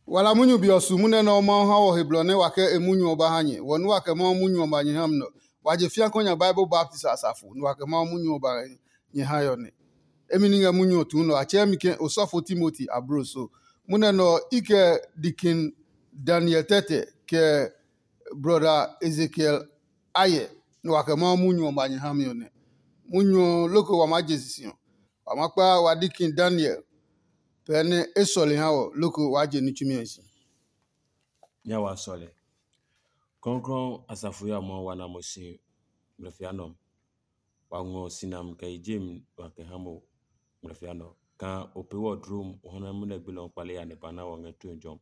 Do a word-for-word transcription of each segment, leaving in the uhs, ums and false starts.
Wala munyu be ɔ su munɛ nɛ ɔ Mawu ha wɔ he blɔ nɛ wa kɛ e munyu ɔ ba ha nyɛ. Wɔ nua kɛ Mawu munyu ɔ ba nyɛ ha mi nɔ. Wa je fia kɔ nya Bible baptist asafo, nua kɛ Mawu munyu ɔ ba nyɛ ha yɔ nɛ. Emi ni ngɛ munyu ɔ tuu nɔ, a tsɛɛ mi ke osɔfo Timoti ablo so. Munɛ nɛ ɔ, i kɛ dikin Daniel tɛtɛ, kɛ brɔda Ezekiel ayɛ, nua kɛ Mawu munyu ɔ ba nyɛ ha mi ɔ nɛ. Munyu ɔ loko wa maa je sisi ɔ, wa ma kpa wa dikin Daniel pɛɛ nɛ e sɔle ha wɔ, loko waa je ní tsumi ɔ si. Nya wa sɔle. Krɔngkrɔng asafo ya mɔ wa na mo si ngmlɛfia nɔ. Wa ngɔ sinam kɛ yi jem wa kɛ ha mo ngmlɛfia nɔ. Kaa o pee wɔ dlom o hɔnɔ munɛ gbilɔ kpale ya ne ba na wɔ ngɛ tue jɔm.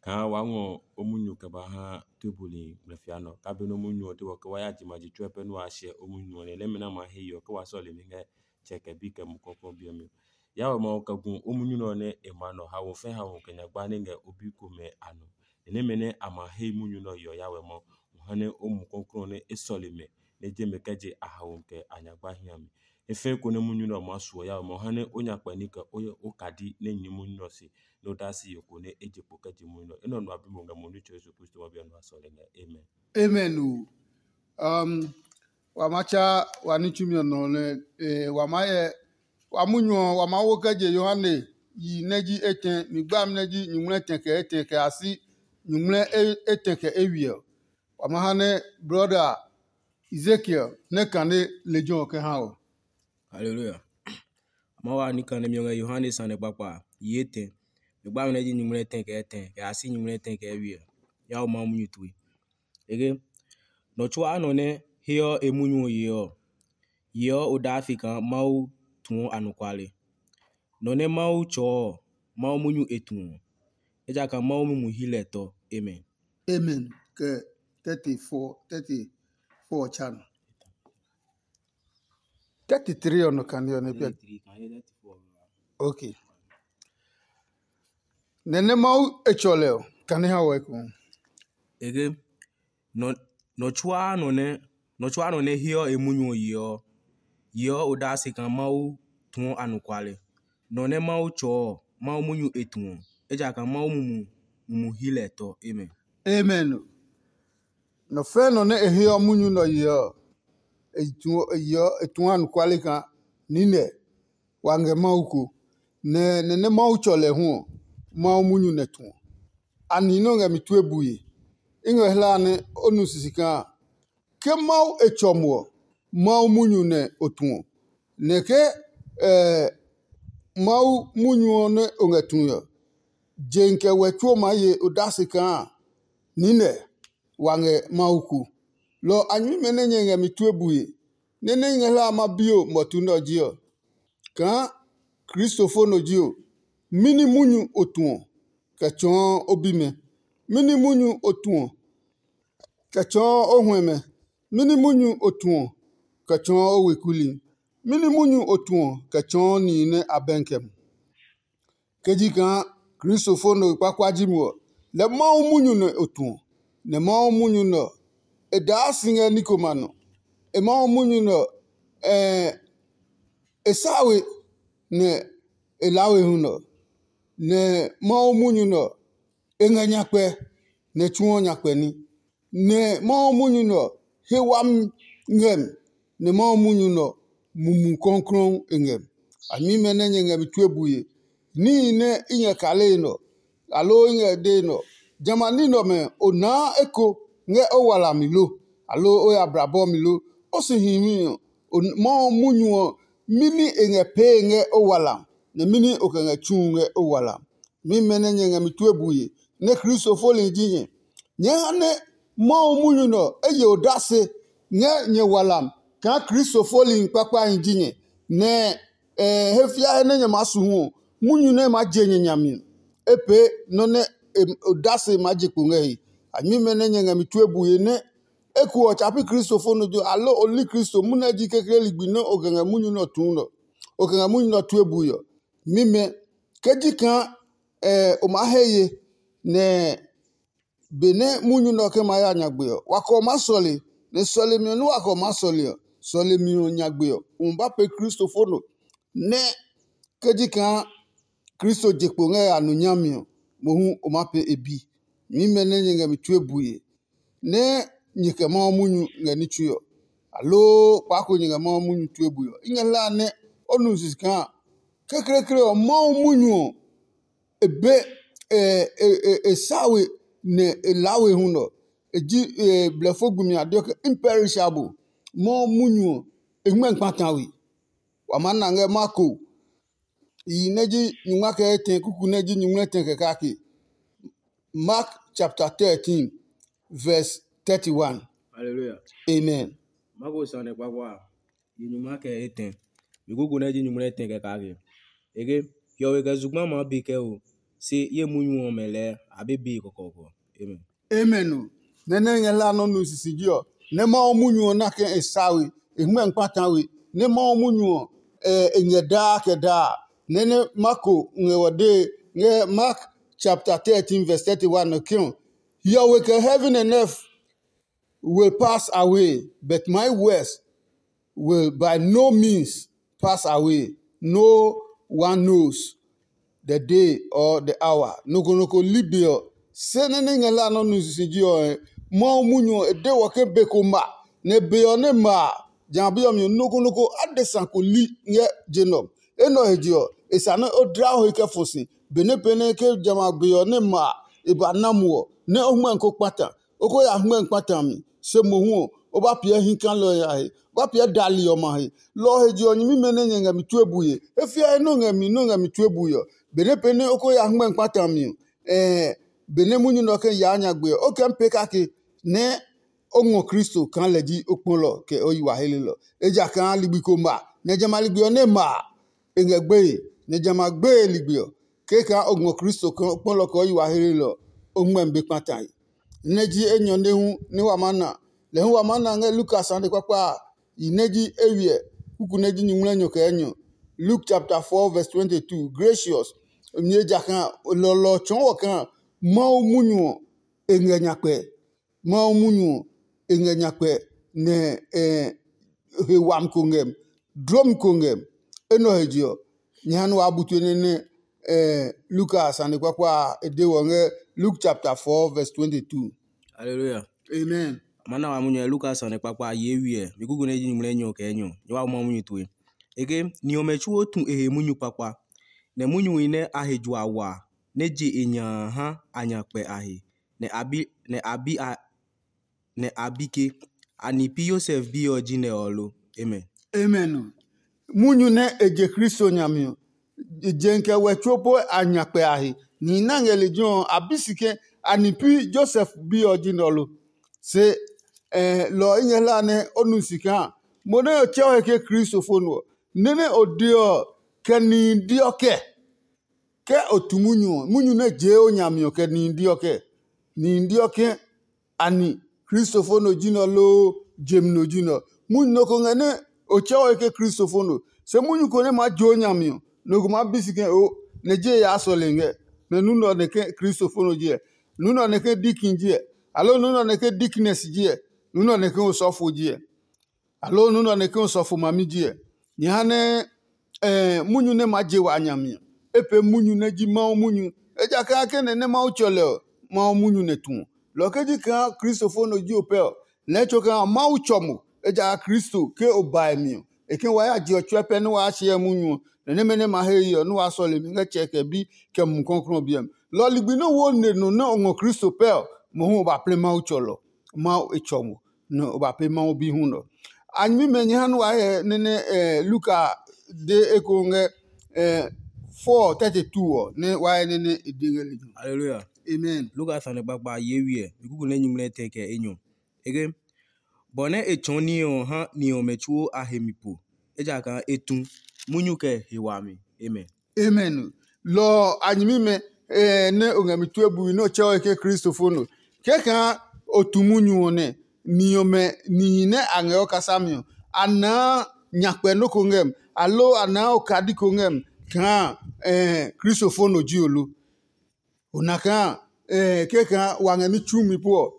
Kaa wa ngɔ o munyu kɛ ba ha tue buli ngmlɛfia nɔ. Ka be nɔ munyu ɔ de wɔ ke wa ya jima ji tsuɛ pɛ nu a hyɛ o munyu ɔ nɛ lɛmɛ na ma he yɔ ke wa sɔle mi ngɛ tsɛ kɛ bi kɛ mu kɔkɔ bi ɔ mi. Yawɛ Mawu kɛ gu o munyu nɛ ɔ nɛ e ma nɔ hawo fɛ hawo kɛ nya gba nɛ ngɛ o bi komɛ a nɔ. Nɛ nɛmɛ nɛ a ma he munyu nɛ ɔ yeɔ Yawɛ Mawu, o ha nɛ o mu kɔklɔ nɛ e sɔle mɛ, nɛ je mɛ kɛ je a hawo kɛ a nya gba hiami. E fɛɛ ko nɛ munyu nɛ ɔ maa suɔ Yawɛ Mawu, o ha nɛ o nya kpɛ ní kɛ o kadi nɛ nyɛ munyu nɛ ɔ se, nɛ o daa si yo ko nɛ e je kpo kɛ je munyu nɛ ɔ. Enɛ ɔ nɔ a bi mo ngɛ mo Nitsɛ Yesu Kristo ma bi ɔ nɔ a sɔle ngɛ. Amen. Amen o. Um, wa ma tsa wa ní tsumi ɔ nɔ nɛ eh, wa ma yɛ wa munyu ɔ wa ma wo kɛ je Yohane yi nɛ ji etɛ, mi gbami nɛ ji nyuŋmlɛ etɛ kɛ etɛ kɛ a si nyuŋmlɛ etɛ kɛ ewiɛ ɔ. Wa ma ha nɛ brɔda Ezekiel nɛ kane lejɛ ɔ kɛ ha ɔ. Haleluya. Ma wa ní kane mi ɔ ngɛ Yohane sane kpakpa a, yi etɛ. Mi gbami nɛ ji nyuŋmlɛ etɛ kɛ etɛ kɛ a si nyuŋmlɛ etɛ kɛ ewiɛ ɔ. Ya wo Mawu munyu tue. Ege, nɔ tsuaa nɔ nɛ heɔ e munyu ɔ yeɔ ɔ, yeɔ odase kaa Mawu tuɔ anɔkuale. Nɔ nɛ Mawu tsɔɔ ɔ, Mawu munyu e tuɔ, ejakaa Mawu mumi hi lɛ tɔ. Amen. Amen. Kɛ thirty-four, thirty-four ɔ tsa nɔ. Thirty-three ɔ nɔ kane ɔ nɛ pia. Okay. Nɛ nɛ Mawu e tsɔ lɛ ɔ, kane ha wɔ eko. Ege, nɔ nɔ tsuaa nɔ nɛ nɔ tsuaa nɔ nɛ heɔ e munyu ɔ yeɔ ɔ, yeɔ odase kaa Mawu tuɔ anɔkuale. Nɔ nɛ Mawu tsɔɔ ɔ, Mawu munyu e tuɔ, ejakaa Mawu mumi mumi hi lɛ tɔ. Amen. Amen. Nɔ fɛɛ nɔ nɛ e heɔ munyu nɛ ɔ yeɔ ɔ, e tuɔ e yeɔ e tuɔ anɔkuale kaa niinɛ wa ngɛ Mawu ko, nɛ nɛ nɛ Mawu tsɔ lɛ hu ɔ, Mawu munyu nɛ tuɔ. Ani nɛ o ngɛ mi tue bue? I ngɛ hlaa nɛ o nu sisi kaa ke Mawu e tsɔ mo ɔ, Mawu munyu nɛ o tuɔ, nɛ ke Mawu munyu ɔ nɛ o ngɛ tue ɔ, je kɛ wɛ tsuo maa ye odase kaa niinɛ wa ngɛ Mawu ku. Lɔ ɔ a nyɛmimɛ nɛ nyɛ ngɛ mi tue bue, nɛ nɛ i ngɛ hlaa ma bi o mɔtu nɛ ɔ ji ɔ, kaa Kristofo nɔ ji o, mɛni munyu o tuɔ kɛ tsɔɔ o bimɛ? Mɛni munyu o tuɔ kɛ tsɔɔ o huɛmɛ? Mɛni munyu o tuɔ kɛ tsɔɔ o weku li? Mɛni munyu o tuɔ kɛ tsɔɔ nihi nɛ a bɛnkɛ mo? Ke ji kaa Kristofo nɔ kpakpa ji mo ɔ, lɛ Mawu munyu nɛ o tuɔ, nɛ Mawu munyu nɛ ɔ, e daa si ngɛ ní komɛ a nɔ. E Mawu munyu nɛ ɔ, e sa we, nɛ e laa we hu nɛ ɔ, nɛ Mawu munyu nɛ ɔ, e ngɛ nyakpɛ, nɛ e tsuɔ nyakpɛ ní. Nɛ Mawu munyu nɛ ɔ, he wami ngɛ mi, nɛ Mawu munyu nɛ ɔ, mumu kɔklɔɔ e ngɛ mi. A nyɛmimɛ nɛ nyɛ ngɛ mi tue bue, níhi nɛ i ngɛ kale nɛ ɔ, aloo i ngɛ dee nɛ ɔ, jamɛ a ní nɛ ɔmɛ o naa eko ngɛ o walami lo, aloo o ya blabɔ mi lo? O si himi ɔ, Mawu munyu ɔ, mɛni e ngɛ pee ngɛ o walam, nɛ mɛni o kɛ ngɛ tsu ngɛ o walam? Mi mɛ nɛ nyɛ ngɛ mi tue bue, nɛ Kristo foli ji nyɛ. Nyɛɛ ha nɛ Mawu munyu nɛ ɔ e ye odase ngɛ nyɛ walam kaa Kristo foli kpakpahi ji nyɛ, nɛ he fia he nɛ nyɛ maa su hu ɔ, munyu nɛ maa je nyɛ nya mi ɔ, e pee nɔ́ nɛ odase maa je kpo ngɛ he. A nyɛmimɛ nɛ nyɛ ngɛ mi tue bue nɛ eko ɔ tsa pi Kristo fo nɔ jo, aloo o li Kristo munɛ ji kekle ligbi nɛ o kɛ ngɛ munyu nɛ ɔ tuu nɛ ɔ, o kɛ ngɛ munyu nɛ ɔ tue bue ɔ. Mimɛ, ke ji kaa o maa he ye, nɛ benɛ munyu nɛ ɔ ke ma ya nyagbe ɔ, wa kɛ ɔ maa sɔle, nɛ sɔlemi ɔ nɛ wa kɛ ɔ maa sɔle ɔ, sɔlemi ɔ nyagbe ɔ, o ma ba pee Kristo fo nɔ. Nɛ ke ji kaa Kristo je kpo ngɛ a nu nyami ɔ, mohu o maa pee e bi. Nyɛmimɛ nɛ nyɛ ngɛ mi tue bue, nɛ nyɛ kɛ Mawu munyu ngɛ ní tsue ɔ, aloo kpaa ko nyɛ ngɛ Mawu munyu tue bue ɔ, i ngɛ hlaa nɛ o nu sisi kaa kekleekle ɔ, Mawu munyu ɔ, e be e e e sa we nɛ e laa we hu nɔ. E ji e blɛfo gbi mi a deɔ ke imperishable. Mawu munyu ɔ, e ngmɛ kpata we. Wa maa na ngɛ Marko yi nɛ ji nyungma kɛ etɛ kuku nɛ ji nyungma etɛ kɛ kake. Mark chapter thirteen, verse thirty-one. Hallelujah. Amen. Marko sane kpakpa a, yi nyungma kɛ etɛ. Mi kuku nɛ ji nyungma etɛ kɛ kake. Ege, hiɔwe kɛ zugba maa be kɛ o, se ye munyu ɔmɛ lɛɛ a be be kɔkɔɔkɔ. Amen. Amen o. Nɛ nɛ ngɛ hla nɔ nu sisiji ɔ, nɛ Mawu munyu ɔ na kɛ e sa we, e hmɛ kpata we, nɛ Mawu munyu ɔ e ngɛ daa kɛ daa. Nɛ nɛ Marko ngɛ wɔ dee ngɛ Mark chapter thirteen verse thirty-one ɔ ke ɔ, hiɔwe kɛ heaven and earth will pass away, but my words will by no means pass away. No one knows the day or the hour. Nɔ ko nɔ ko li be ɔ, se nɛ nɛ ngɛ la nɔ nu sisiji ɔ, Mawu munyu ɔ e de wɔ ke be ko ma, nɛ be ɔ nɛ ma a, jamɛ a bi ɔ mi ɔ, nɔ ko nɔ ko adesa ko li ngɛ je nɛ ɔ. Enɛ ɔ he je ɔ, e sa nɛ o dla o he kɛ fɔ si. Benɛ pɛ nɛ ke jamɛ a be ɔ nɛ ma a, e ba na mo ɔ, nɛ o hmɛ ko kpata. O ko ya hmɛ kpata mi, se mohu ɔ, o ba piɛ hi kalɔ ɔ ya he, o ba piɛ dali ɔmɛ a he. Lɔ ɔ he je ɔ, nyɛmimɛ nɛ nyɛ ngɛ mi tue bue, e fiɛ he nɔ ngɛ mi nɔ ngɛ mi tue bue ɔ, benɛ pɛ nɛ o ko ya hmɛ kpata mi ɔ, ɛɛ benɛ munyu nɛ ɔ kɛ yaa nyagbe ɔ, o kɛ pee kake nɛ o ngɔ Kristo kaa lɛ ji o kpɔlɔ kɛ o yi wa helelɔ. Ejakaa ligbi ko ma, nɛ jamɛ a ligbi ɔ nɛ ma a, e ngɛ gbeye, nɛ jamɛ a gbeye ligbi ɔ, kɛkaa o ngɔ Kristo kpɔlɔ kɛ o yi wa helelɔ ɔ, o ngmɛmi be kpatae. Nɛ ji enyɔ nɛ hu nɛ wa maa na. Lɛ hu wa maa na ngɛ Lukas sane kpakpa a, yi nɛ ji eywiɛ, kuku nɛ ji nyuŋmlɛnyɔ kɛ enyɔ. Luke chapter four verse twenty-two. Gracious, nyɛ ejakaa lɔlɔ ɔ tsɔɔ wɔ kaa Mawu munyu ɔ e ngɛ nyakpɛ. Mawu munyu ɔ e ngɛ nyakpɛ nɛ he wami ko ngɛ mi, dlomi ko ngɛ mi. Enɛ ɔ he je ɔ, nyɛ ha nɛ waa bu tue nɛ nɛ Luka sane kpakpa a e de wɔ ngɛ Luke chapter four verse twenty-two. Hallelujah. Amen. Ma na wa munyu ɛ Luka sane kpakpa a ye wiɛ mi kuku nɛ ji nyumu lɛ nyɔ kɛ nyɔ nyɛ wa mɔ munyu tue. Eke ni ɔmɛ tsuo tu e he munyu kpakpa, nɛ munyuhi nɛ a he jua wa nɛ je e nya ha a nya kpɛ a he, nɛ a bi nɛ a bi a nɛ a bi ke, ani pi Yosef bi ɔ ji nɛ ɔ lo? Amen. Amen. Munyu nɛ e je Kristo nyami ɔ, e je kɛ wɛ tsuo po a nya kpɛ a he. Nihi nɛ ngɛ lejɛ ɔ, a bi si ke, ani pi Yosef bi ɔ ji nɛ ɔ lo? Se lɔ ɔ i ngɛ hla nɛ o nu si kaa mo nɛ o tsɛ o he ke Kristo fo nɔ ɔ, nɛ nɛ o de ɔ, kɛ nihi di ɔ kɛ? Ke o tu munyu ɔ, munyu nɛ jee o nyami ɔ kɛ nihi di ɔ kɛ? Nihi di ɔ ke ani Kristo fo nɔ ji nɛ ɔ loo jemi nɔ ji nɛ ɔ? Munyu nɔ ko ngɛ nɛ o tsɛ o he ke Kristo fo nɔ. Se munyu ko nɛ maa je o nyami ɔ, nɔ ko maa bi si ke o nɛ je yaa sɔle ngɛ, nɛ nu nɛ ɔ nɛ ke Kristo fo nɔ ji ɛ, nu nɛ ɔ nɛ ke dikin ji ɛ, aloo nu nɛ ɔ nɛ ke diknɛs ji ɛ, nu nɛ ɔ nɛ ke osɔfo ji ɛ, aloo nu nɛ ɔ nɛ ke osɔfo mami ji ɛ. Nyɛ ha nɛ munyu nɛ maa je wa a nyami ɔ, e pee munyu nɛ ji Mawu munyu. Ejakaa ke nɛ nɛ Mawu tsɔ lɛ ɔ, Mawu munyu nɛ tu ɔ. Lɔ ke ji kaa Kristo fo nɔ ji o pɛ ɔ, lɛɛ tso kaa Mawu tsɔ mo. Ejakaa Kristo ke o ba e mi ɔ, e ke wa ya je ɔ tsuɛ pɛ nɛ waa hyɛ munyu ɔ, nɛ nɛmɛ nɛ ma he ye ɔ nɛ waa sɔle mi ngɛ Tsɛ kɛ Bi kɛ Mumi Klɔuklɔu ɔ biɛ mi. Lɔ ligbi nɛ wo ne nɔ nɛ o ngɔ Kristo pɛ ɔ, mohu o ba plɛ Mawu tsɔlɔ. Mawu e tsɔ mo, nɛ o ba pee Mawu bi hu nɔ. A nyɛmimɛ nyɛ ha nɛ wa hyɛ nɛ nɛ Luka de eko ngɛ four thirty two ɔ, nɛ wa hyɛ nɛ nɛ e de ngɛ lejɛ. Hallelujah. Amen. Luka sane kpakpa ye wiɛ, mi kuku nɛ nyumu nɛ tɛ kɛ enyɔ. Ege, bɔ nɛ e tsɔɔ ní ɔ ha ni ɔmɛ tsuo a he mi po, ejakaa e tu munyu kɛ he wami. Amen. Amen. Lɔ ɔ a nyɛmimɛ nɛ o ngɛ mi tue bui nɛ o tsɛ o he ke Kristo fo nɔ. Kɛkaa o tu munyu ɔ nɛ, ni ɔmɛ nihi nɛ a ngɛ o kasami ɔ, a naa nyakpɛ nɔ́ ko ngɛ mi, aloo a naa okadi ko ngɛ mi kaa Kristo fo nɔ ji o lo? O na kaa kɛkaa wa ngɛ ní tsumi po ɔ,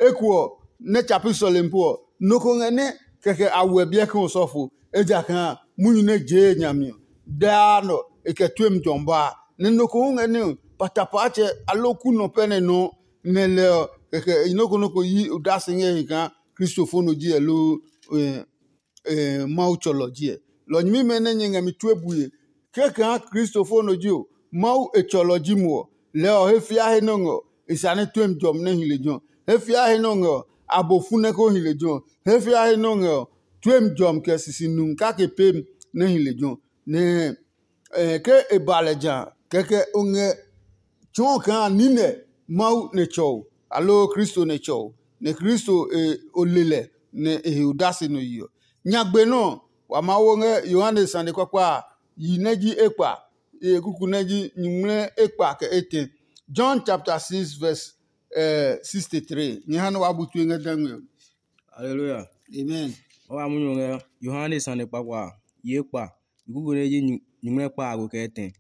eko ɔ nɛ tsa pi sɔlemi po ɔ, nɔ ko ngɛ nɛ kɛkɛ a wɛ biɛ kaa osɔfo, ejakaa munyu nɛ jee e nya mi ɔ, daa nɔ e kɛ tue mi tɔ ba a. Nɛ nɔ ko hu ngɛ nɛ patapaatsɛ aloo kunɔ pɛ nɛ nɔ nɛ lɛ ɔ, kɛkɛ nɔ́ ko nɔ́ ko yi odase ngɛ he kaa Kristo fo nɔ ji ɛ loo Mawu tsɔlɔ ji ɛ. Lɔ nyɛmimɛ nɛ nyɛ ngɛ mi tue bue, kɛkaa Kristo fo nɔ ji ɔ, Mawu e tsɔlɔ ji mo ɔ, lɛɛ ɔ he fia he nɛ o ngɛ ɔ, e sane tuemi jɔmi nɛ hi lejɛ ɔ. He fia he nɛ o ngɛ ɔ, abo fu nɛ ko hi lejɛ ɔ. He fia he nɛ o ngɛ ɔ, tuemi jɔmi kɛ sisi numi kake pemi nɛ hi lejɛ ɔ. Nɛ ke e ba lɛ ja a, kɛkɛ o ngɛ tsɔɔ kaa niinɛ Mawu nɛ tsɔ o, aloo Kristo nɛ tsɔ o, nɛ Kristo o le lɛ nɛ e he odase nɔ yi ɔ. Nyagbe nɔ́ ɔ, wa maa wo ngɛ Yohane sane kpakpa a, yi nɛ ji ekpa, e kuku nɛ ji nyuŋmlɛ ekpa kɛ etɛ. John chapter six verse sixty-three. Nyɛ ha nɛ waa bu tue ngɛ dangme ɔ. Haleluya. Amen. Wa wa munyu ngɛ Yohane sane kpakpa a, yi ekpa, yi kuku nɛ ji nyuŋmlɛ kpa a ko kɛ etɛ.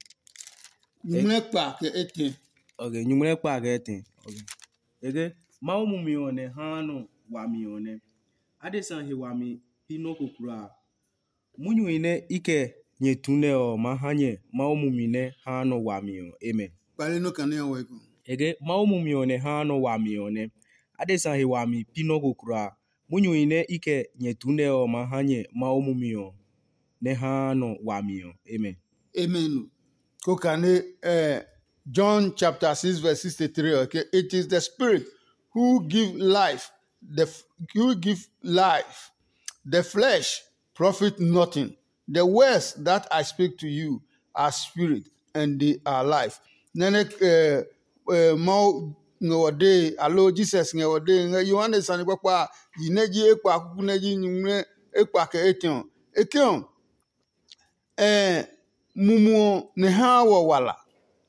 Nyuŋmlɛ kpa kɛ etɛ. Ok, nyuŋmlɛ kpa kɛ etɛ. Ok. Eke, Mawu mumi ɔ nɛ haa nɔ wami ɔ nɛ. Adesa he wami pi nɔ́ ko kulaa. Munyuhi nɛ i kɛ nyɛ tu nɛ ɔ maa ha nyɛ Mawu mumi nɛ haa nɔ wami ɔ. Amen. Kpale nɔ kane ɔ wɛ ko. Eke, Mawu mumi ɔ nɛ haa nɔ wami ɔ nɛ. Adesa he wami pi nɔ́ ko kulaa. Munyuhi nɛ i kɛ nyɛ tu nɛ ɔ maa ha nyɛ Mawu mumi ɔ nɛ haa nɔ wami ɔ. Amen. Amen. Ko kane eh, John chapter six verse sixty-three, okay? It is the spirit who give life, the f- who give life. The flesh profit nothing. The words that I speak to you are spirit and they are life. Nɛnɛ eh, eh, Mawu ngɛ wɔ dee, aloo Jesus ngɛ wɔ dee, ngɛ Yohane sane kpakpa a, yi nɛ ji ekpa kuku nɛ ji nyuŋmlɛ ekpa kɛ etɛ ɔ. E ke ɔ, eh, mumu ɔ nɛ haa wɔ wala,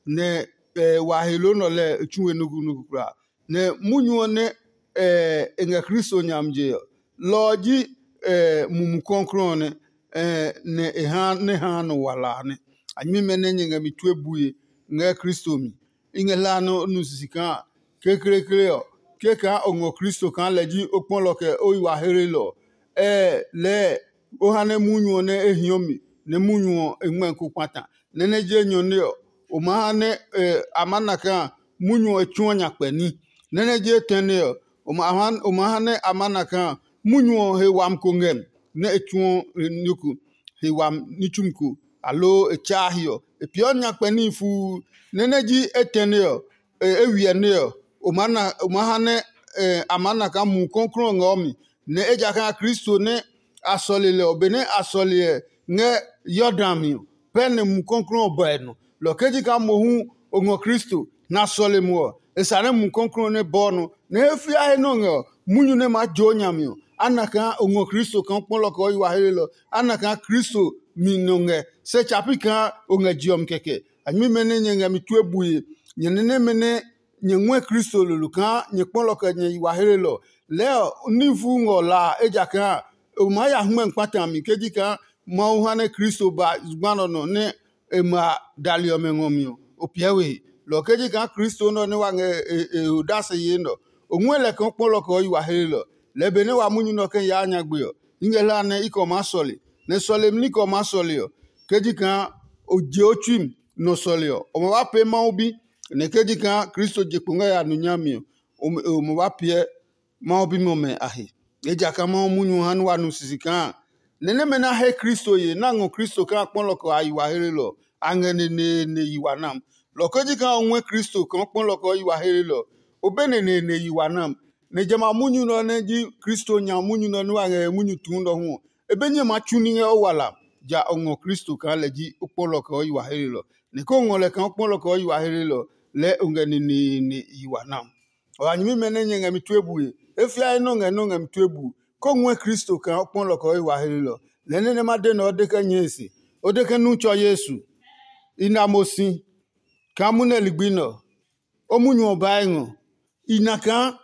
nɛ eh, wa he loo nɔ lɛ e tsu we nukunuku kulaa. Nɛ munyu ɔ nɛ eh, e ngɛ Kristo nyami je ɔ, lɔ ɔ ji eh, Mumi Klɔuklɔu ɔ nɛ, eh, nɛ e ha nɛ haa nɔ wala a nɛ. A nyɛmimɛ nɛ nyɛ ngɛ mi tue bue ngɛ Kristo mi. I ngɛ hlaa nɛ o nu sisi kaa kekleekle ɔ, kɛkaa o ngɔ Kristo kaa lɛ ji o kpɔlɔ kɛ o yi wa heelelɔ ɔ, ɛɛ lɛɛ o ha nɛ munyu ɔ nɛ e hiɔ mi nɛ munyu ɔ e ngmɛ́ ko kpata. Nɛ nɛ je enyɔ nɛ ɔ, o ma ha nɛ a ma na kaa munyu ɔ e tsuɔ nyakpɛ ní. Nɛ nɛ je etɛne ɔ, o ma ha nɛ a ma na kaa munyu ɔ he wami ko ngɛ mi nɛ e tsuɔ ní ko he wami ní tsumi ko, aloo e tsaa hiɔ. E peeɔ nyakpɛ níhi fuu. Nɛ nɛ ji etɛne ɔ, e wiɛ nɛ ɔ, o maa ha nɛ a maa na kaa Mumi Klɔuklɔu ɔ ngɛ o mi, nɛ ejakaa Kristo nɛ a sɔle lɛ ɔ, benɛ a sɔle ɛ ngɛ Yordan mi ɔ, pɛ nɛ Mumi Klɔuklɔu ɔ ba e nɔ. Lɔ kɛ ji kaa mohu o ngɔ Kristo, nɛ a sɔle mo ɔ, e sane Mumi Klɔuklɔu nɛ bɔɔ nɔ, nɛ he fia he nɛ o ngɛ ɔ, munyu nɛ maa joo nya mi ɔ, a na kaa o ngɔ Kristo kaa o kpɔlɔ kɛ o yi wa helelɔ, a na kaa Kristo mi nɔ ngɛ, se tsa pi kaa o ngɛ je ɔ mi kɛkɛ. A nyɛmimɛ nɛ nyɛ ngɛ mi tue bue, nyɛ nɛ nɛmɛ nɛ nyɛ ngɔɛ Kristo lolo kaa nyɛ kpɔlɔ kɛ nyɛ yi wa helelɔ. Lɛɛ ɔ, ní fu ngɔ la a, ejakaa o maa ya hmɛ kpata mi ke ji kaa Mawu ha nɛ Kristo ba zugba nɔ nɔ nɛ e ma dali ɔmɛ ngɔ mi ɔ, o piɛ we he. Lɔ ɔ ke ji kaa Kristo nɛ ɔ nɛ wa ngɛ e odase yee nɛ ɔ, o ngɔɛ lɛ kaa o kpɔlɔ kɛ o yi wa helelɔ. Lɛɛ benɛ wa munyu nɛ ɔ kɛ yaa nyagbe ɔ, i ngɛ hlaa nɛ i kɛ o maa sɔle, nɛ sɔlemi ní kɛ o maa sɔle ɔ, ke ji kaa o je o tsui mi nɔ sɔle ɔ, o ma ba pee Mawu bi. Nɛ ke ji kaa Kristo je kpo ngɛ ya nu nyami ɔ, o ma ba piɛ Mawu bimɛ ɔmɛ a he. Ejakaa Mawu munyu ɔ ha nɛ wa nu sisi kaa nɛ nɛmɛ nɛ a he Kristo ye nɛ a ngɔ Kristo kaa kpɔlɔ kɛ a yi wa helelɔ ɔ, a ngɛ neneene yi wa nam. Lɔ ɔ ke ji kaa o ngɔɛ Kristo kaa kpɔlɔ kɛ o yi wa helelɔ ɔ, o be neneene yi wa nam. Nɛ jamɛ a munyu nɛ ɔ nɛ ji Kristo nya munyu nɛ ɔ nɛ wa ngɛ he munyu tuu nɛ ɔ hu ɔ, e be nyɛ maa tsu ní ngɛ o wala. Ja o ngɔ Kristo kaa lɛ ji o kpɔlɔ kɛ o yi wa helelɔ. Nɛ ke o ngɔ lɛ kaa o kpɔlɔ kɛ o yi wa helelɔ, lɛɛ o ngɛ neneene yi wa nam. Ɔ ya nyɛmimɛ nɛ nyɛ ngɛ mi tue bue, e fia he nɔ ngɛ nɔ ngɛ mi tue bue, ko ngɔɛ Kristo kaa o kpɔlɔ kɛ o yi wa helelɔ. Lɛɛ nɛ nɛ ma de nɛ o de kɛ nyɛe se, o de ke nu tsɔ Yesu. I na mo si kaa munɛ ligbi nɛ ɔ, o munyu ɔ baa e ngɔ. I na kaa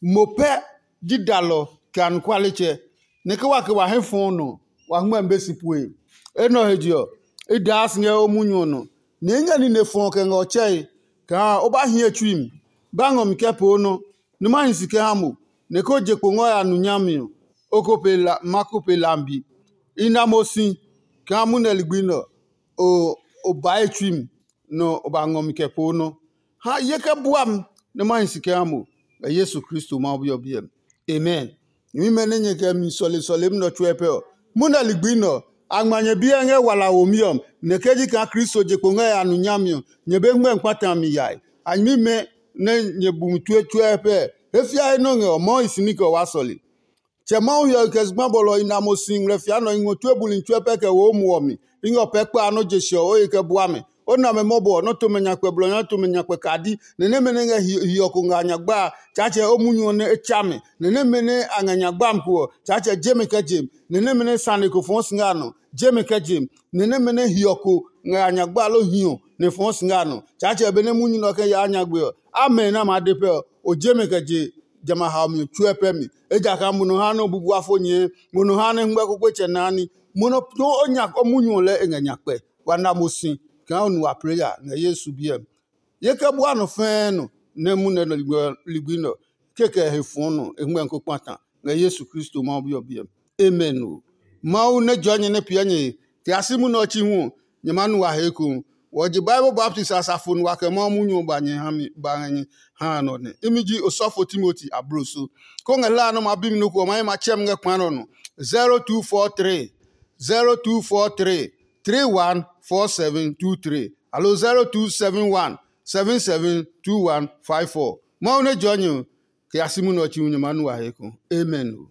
mo pɛ ji dalɔ kɛ anɔkualetsɛ, nɛ ke wa ke wa hɛ fɔɔ nɔ ɔ, wa ngmɛmi be si pue. Enɛ ɔ he je ɔ, i daa si ngɛ o munyu ɔ nɔ, nɛ i ngɛ nine fɔɔ kɛ ngɛ ɔ tsɛe kaa o ba hie tsui mi, ba ngɔ mi kɛ poo nɔ, nɛ ma hi si kɛ ha mo, nɛ ko je kpo ngɔ ya nu nyami ɔ, o ko pe la ma ko pe lambi. I na mo si kaa munɛ ligbi nɛ ɔ, o o bae tsui mi, nɛ o ba ngɔ mi kɛ poo nɔ. Ha ye kɛ bua mi nɛ ma hi si kɛ ha mo, ngɛ Yesu Kristo Mawu Bi ɔ biɛ mi. Amen. Nyɛmimɛ nɛ nyɛ kɛ mi sɔle sɔlemi nɛ ɔ tsuɛ pɛ ɔ, munɛ ligbi nɛ ɔ, a ngma nyɛ biɛ ngɛ wala womi ɔ mi, nɛ ke ji kaa Kristo je kpo ngɛ ya nu nyami ɔ, nyɛ be ngmɛ kpata mi yae. A nyɛmimɛ nɛ nyɛ bu mi tue tsuɛ pɛ, he fia he nɔ ngɛ ɔ, Mawu hi si ní kɛ ɔ wa sɔle. Tsɛ Mawu hiɔwe kɛ zugba bɔlɔ i na mo si ngmlɛ fia nɔ i ngɔ tue buli tsuɛ pɛ kɛ wo o muɔ mi. I ngɛ o pɛ kpa a nɔ je se ɔ, o he kɛ bua mɛ. O na mɛ mɔbɔ ɔ, nɔ́ tomɛ nya kpɛ blɔ nya tomɛ nya kpɛ kadi, nɛ nɛmɛ nɛ ngɛ hiɔ ko ngɛ a nyagba a, Tsaatsɛ o munyu ɔ nɛ e tsa mɛ. Nɛ nɛmɛ nɛ a ngɛ nyagba mi ko ɔ, Tsaatsɛ je mɛ kɛ je mi. Nɛ nɛmɛ nɛ sane ko fɔɔ si ngɛ a nɔ, je mɛ kɛ je mi. Nɛ nɛmɛ nɛ hiɔ ko ngɛ a nyagba lo hiɔ nɛ fɔɔ si ngɛ a nɔ, Tsaatsɛ benɛ munyu nɛ ɔ kɛ yaa nyagbe ɔ, a mɛ nɛ a maa de pɛ ɔ, o je mɛ kɛ je jamɛ a haomi ɔ tsuɛ pɛ mi. Ejakaa mo nɔ ha nɛ o bubuafo nyɛɛ, mo nɔ ha nɛ hɛngmɛ kpekpetsɛ naa ní, mo nɔ too o nya o munyu ɔ lɛɛ e ngɛ nya kpɛ. Wa na mo si kaa o nu wa plɛ ya ngɛ Yesu biɛ mi. Ye kɛ bua nɔ fɛɛ nɔ nɛ munɛ nɔ ligbi nɔ, kekɛ he fɔɔ nɔ e hɛngmɛ ko kpata ngɛ Yesu Kristo Mawu Bi ɔ biɛ mi. Amen o. Mawu nɛ jɔɔ nyɛ nɛ piɛ nyɛ he, kɛ ya si munɛ ɔ chi hu ɔ, nyɛ maa nu wa he ekohu. Wɔ je Bible baptist asafo nua kɛ Mawu munyu ɔ ba nyɛ ha mi ba ngɛ nyɛ ha a nɔ nɛ. Imi ji osɔfo Timoti abloso. Ko ngɛ hlaa nɛ o ma bi mi nɔ ko ɔ, ma ye ma tsɛ mi ngɛ kpa nɔ nɔ. zero two four three, zero two four three, three one four seven two three, alo zero two seven one, seven seven two one five four. Mawu nɛ jɔɔ nyɛ ɔ, kɛ ya si munɛ ɔ chi hu nyɛ maa nu wa he ekohu. Amen o.